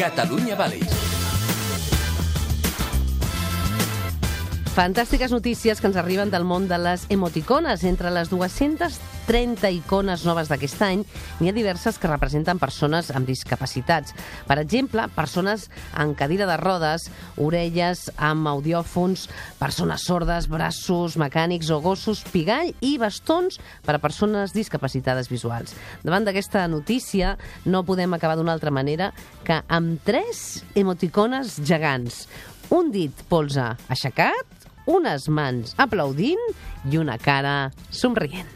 Catalunya Vallis. Fantàstiques notícies que ens arriben del món de les emoticones. Entre les 230 icones noves d'aquest any, n'hi ha diverses que representen persones amb discapacitats. Per exemple, persones en cadira de rodes, orelles amb audiòfons, persones sordes, braços mecànics o gossos pigall i bastons per a persones discapacitades visuals. Davant d'aquesta notícia, no podem acabar d'una altra manera que amb 3 emoticones gegants. Un dit polze aixecat, unes mans aplaudint i una cara somrient.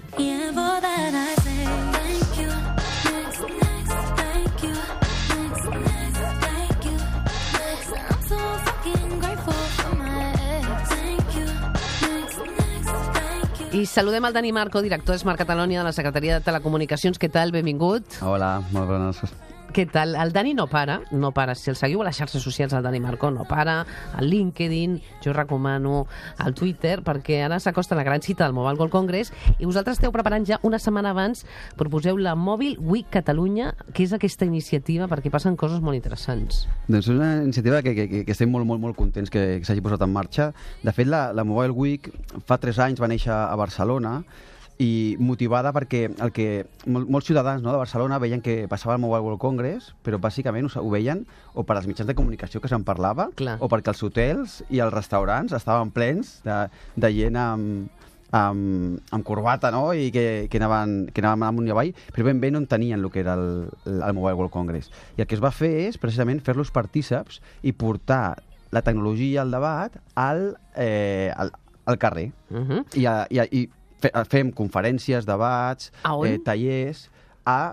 I saludem el Dani Marco, director de Smart Catalonia de la Secretaria de Telecomunicacions. Què tal? Benvingut. Hola, molt bones. Què tal? El Dani no para. Si el seguiu a les xarxes socials, el Dani Marco no para. Al LinkedIn, jo recomano al Twitter, perquè ara s'acosta la gran cita del Mobile World Congress i vosaltres esteu preparant ja una setmana abans, proposeu la Mobile Week Catalunya, que és aquesta iniciativa perquè passen coses molt interessants. Doncs és una iniciativa que estem molt contents que s'hagi posat en marxa. De fet, la Mobile Week fa 3 anys va néixer a Barcelona i motivada perquè el que molts ciutadans, no, de Barcelona veien que passava el Mobile World Congress, però bàsicament ho veien o per als mitjans de comunicació que se'n parlava, Clar. o perquè els hotels i els restaurants estaven plens de gent amb corbata, no? I que anaven amunt i avall, però ben bé no entenien el que era el Mobile World Congress. I el que es va fer és precisament fer-los partíceps i portar la tecnologia al debat al carrer. I fem conferències, debats, tallers a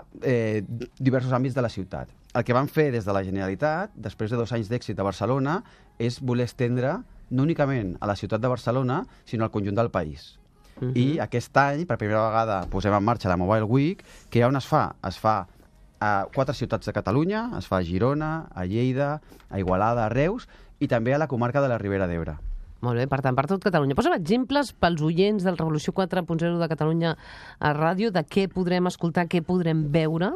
diversos àmbits de la ciutat. El que van fer des de la Generalitat, després de 2 anys d'èxit a Barcelona, és voler estendre no únicament a la ciutat de Barcelona, sinó al conjunt del país. I aquest any, per primera vegada, posem en marxa la Mobile Week, que on es fa? Es fa a 4 ciutats de Catalunya, es fa a Girona, a Lleida, a Igualada, a Reus, i també a la comarca de la Ribera d'Ebre. Molt bé, per tant, per tot Catalunya. Posa'm exemples pels oients del Revolució 4.0 de Catalunya a ràdio, de què podrem escoltar, què podrem veure.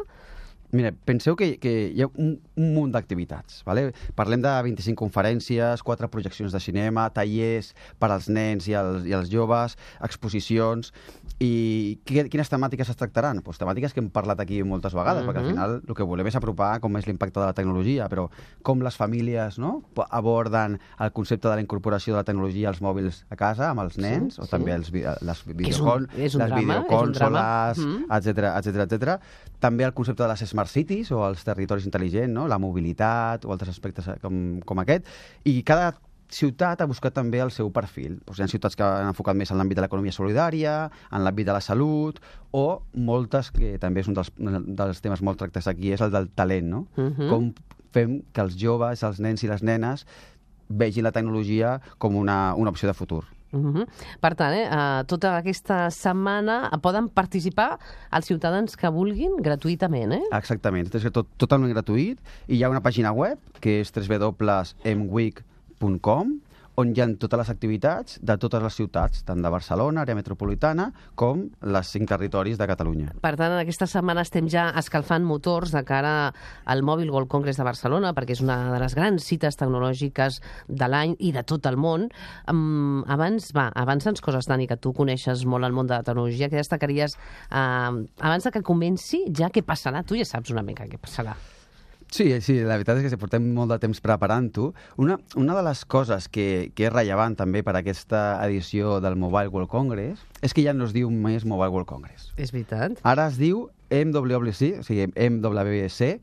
Mira, penseu que hi ha un munt d'activitats. Vale? Parlem de 25 conferències, 4 projeccions de cinema, tallers per als nens i els joves, exposicions. I quines temàtiques es tractaran? Pues temàtiques que hem parlat aquí moltes vegades, perquè al final el que volem és apropar com és l'impacte de la tecnologia, però com les famílies, no, aborden el concepte de la incorporació de la tecnologia als mòbils a casa, amb els nens, o també les videocònsoles, etc. També el concepte de les Smart Cities o els territoris intel·ligents, no? La mobilitat o altres aspectes com aquest. I cada ciutat ha buscat també el seu perfil. Hi ha ciutats que han enfocat més en l'àmbit de l'economia solidària, en l'àmbit de la salut, o moltes, que també és un dels temes molt tractats aquí, és el del talent, no? Com fem que els joves, els nens i les nenes vegin la tecnologia com una opció de futur. Per tant, tota aquesta setmana poden participar els ciutadans que vulguin gratuïtament, Exactament, és totalment gratuït, i hi ha una pàgina web que és www.mweek.com, on hi ha totes les activitats de totes les ciutats, tant de Barcelona, àrea metropolitana, com les 5 territoris de Catalunya. Per tant, en aquesta setmana estem ja escalfant motors de cara al Mobile World Congress de Barcelona, perquè és una de les grans cites tecnològiques de l'any i de tot el món. Avança'ns coses, Dani, que tu coneixes molt el món de la tecnologia. Què destacaries abans de que comenci? Ja què passarà? Tu ja saps una mica què passarà. Sí, la veritat és que portem molt de temps preparant-ho. Una de les coses que és rellevant també per aquesta edició del Mobile World Congress és que ja no es diu més Mobile World Congress. És veritat. Ara es diu MWC, o sigui, MWC,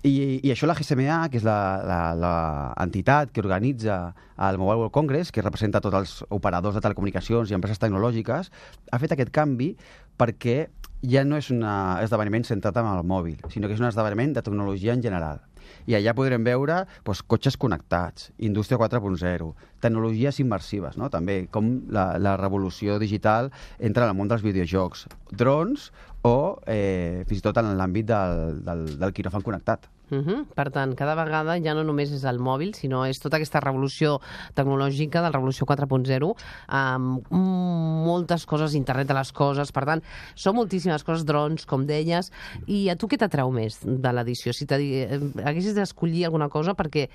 i això la GSMA, que és l'entitat que organitza el Mobile World Congress, que representa tots els operadors de telecomunicacions i empreses tecnològiques, ha fet aquest canvi perquè ja no és un esdeveniment centrat en el mòbil, sinó que és un esdeveniment de tecnologia en general. I allà podrem veure cotxes connectats, indústria 4.0, tecnologies immersives, no? També com la revolució digital entra en el món dels videojocs, drons o fins i tot en l'àmbit del quiròfan connectat. Per tant, cada vegada ja no només és el mòbil, sinó és tota aquesta revolució tecnològica, de la revolució 4.0, amb moltes coses, internet de les coses, per tant, són moltíssimes coses, drons, com deies, i a tu què t'atreu més de l'edició? Si haguessis d'escollir alguna cosa, perquè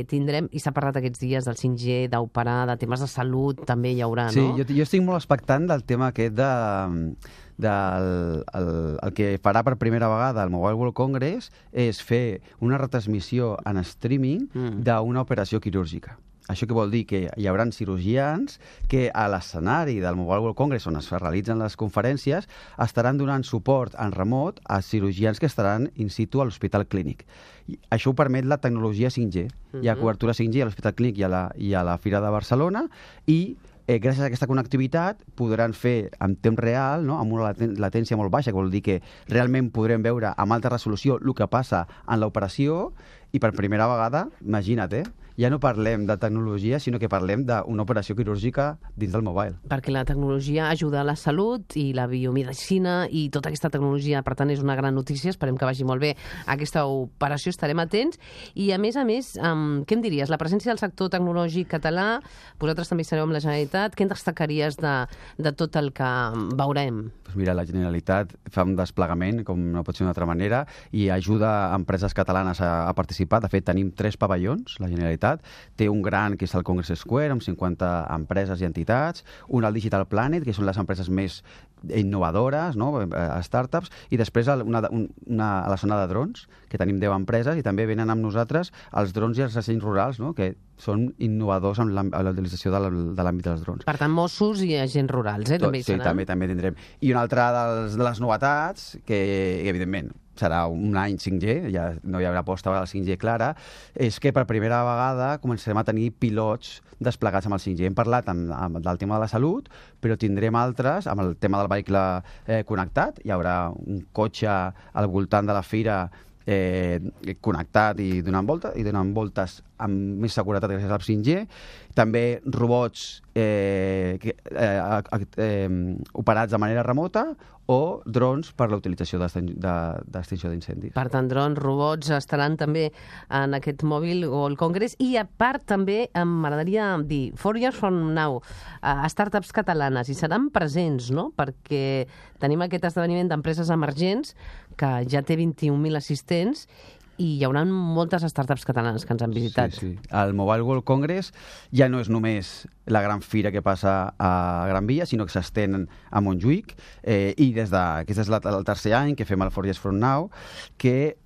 tindrem, i s'ha parlat aquests dies del 5G, d'operar, de temes de salut, també hi haurà, no? Sí, jo estic molt expectant del tema aquest el que farà per primera vegada el Mobile World Congress és fer una retransmissió en streaming d'una operació quirúrgica. Això què vol dir? Que hi haurà cirurgians que a l'escenari del Mobile World Congress, on es realitzen les conferències, estaran donant suport en remot a cirurgians que estaran in situ a l'Hospital Clínic. Això ho permet la tecnologia 5G. Hi ha cobertura 5G a l'Hospital Clínic i a la Fira de Barcelona i gràcies a aquesta connectivitat podran fer en temps real, no? Amb una latència molt baixa, que vol dir que realment podrem veure amb alta resolució el que passa en l'operació i per primera vegada, imagina't, ja no parlem de tecnologia, sinó que parlem d'una operació quirúrgica dins del mobile. Perquè la tecnologia ajuda a la salut i la biomedicina i tota aquesta tecnologia, per tant, és una gran notícia. Esperem que vagi molt bé aquesta operació, estarem atents. I, a més, què em diries? La presència del sector tecnològic català, vosaltres també sereu amb la Generalitat, què en destacaries de tot el que veurem? Doncs mira, la Generalitat fa un desplegament, com no pot ser d'una altra manera, i ajuda empreses catalanes a participar. De fet, tenim 3 pavellons, la Generalitat. Té un gran, que és el Congress Square, amb 50 empreses i entitats, un al Digital Planet, que són les empreses més innovadores, no? Startups, i després a la zona de drons, que tenim 10 empreses, i també venen amb nosaltres els drons i els dissenys rurals, no? Que són innovadors en la utilització de l'àmbit dels drons. Per tant, Mossos i agents rurals, també hi seran? Sí, també tindrem. I una altra de les novetats, que evidentment serà un any 5G, ja no hi haurà aposta a la 5G clara, és que per primera vegada començarem a tenir pilots desplegats amb el 5G. Hem parlat del tema de la salut, però tindrem altres, amb el tema del vehicle connectat. Hi haurà un cotxe al voltant de la fira connectat i donant voltes amb més seguretat gràcies al 5G. També robots operats de manera remota o drons per la utilització d'extinció d'incendis. Per tant, drons, robots estaran també en aquest Mobile World Congress. I a part també m'agradaria dir 4 Years From Now, startups catalanes, i seran presents, no? Perquè tenim aquest esdeveniment d'empreses emergents que ja té 21.000 assistents i hi haurà moltes startups catalanes que ens han visitat. Sí. El Mobile World Congress ja no és només la gran fira que passa a Gran Via, sinó que s'estén a Montjuïc, i aquest és el tercer any que fem el 4 Years From Now, que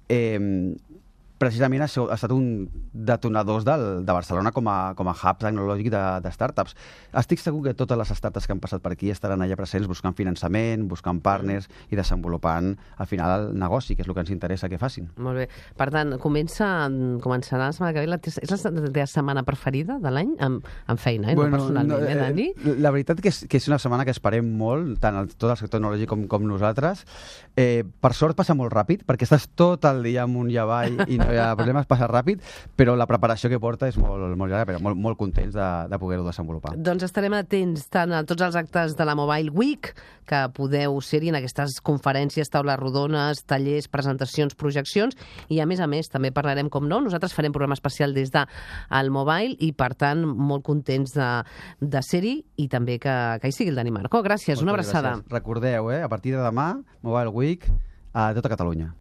precisament ha estat un detonador de Barcelona com a hub tecnològic de startups. Estic segur que totes les startups que han passat per aquí estaran allà presents buscant finançament, buscant partners i desenvolupant, al final, el negoci, que és el que ens interessa que facin. Molt bé. Per tant, començarà la setmana que ve. És la teva setmana preferida de l'any? En feina, no personalment, Dani? La veritat que és una setmana que esperem molt, tant tot el sector tecnològic com nosaltres. Per sort passa molt ràpid, perquè estàs tot el dia amunt i avall i no hi ha problemes, passa ràpid, però la preparació que porta és molt llarga, però molt contents de poder-ho desenvolupar. Doncs estarem atents tant a tots els actes de la Mobile Week, que podeu ser-hi en aquestes conferències, taules rodones, tallers, presentacions, projeccions, i a més també parlarem, com no, nosaltres farem programa especial des del Mobile i, per tant, molt contents de ser-hi i també que hi sigui el Dani Marco. Gràcies, una abraçada. Gràcies. Recordeu, a partir de demà, Mobile Week a tota Catalunya.